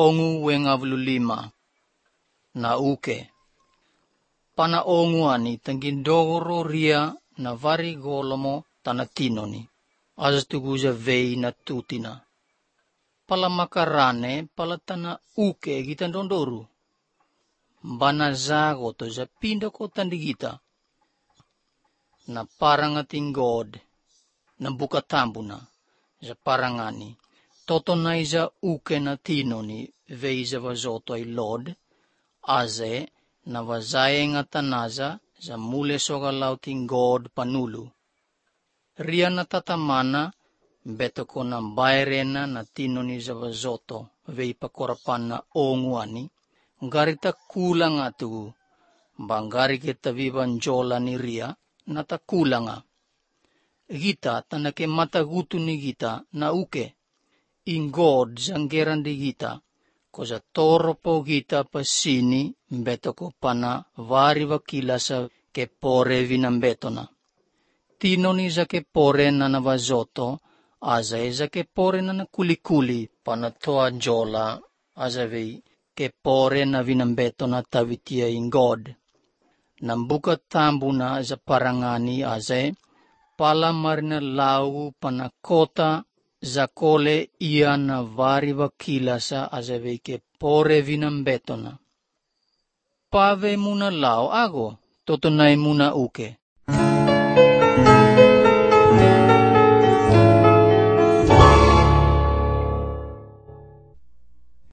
ongu wengavlulima na uke. Pana ongu ani tangindoro ria na vari golomo tanatinoni. As tuguza vei na tutina. Pala makarane pala tana uke gitandondoru. Bana zago to za pinda ko tandigita. Na parangating God. Na bukatambuna. Za parangani. Totonay za uke na tinoni. Vei za vazoto ay Lord. Aze na vazaye nga tanaza. Za mule sogalauting God panulu. Ria na tatamana. Beto ko na bayrena na tinoni za vazoto. Vei pakorapan na onguani. Garita kulang atu. Banggari kita vivan jola ni ria. Nata kulanga. Gita tanake matagutu ni gita na uke. In God zanggeran di gita. Koza toro po gita pasini. Beto ko pana vari wakila sa kepore vinambetona. Tinoni za kepore na navazoto. Aza za kepore na kulikuli. Panatoa jola. Aza vei. Kepore na vinambeto na tavitia in God. Nambuka tambu na za parangani aze. Pala marina lau panakota za kole ia na vari wakila sa aze vei kepore vinambeto na. Pave muna lau ago. Totonay muna uke.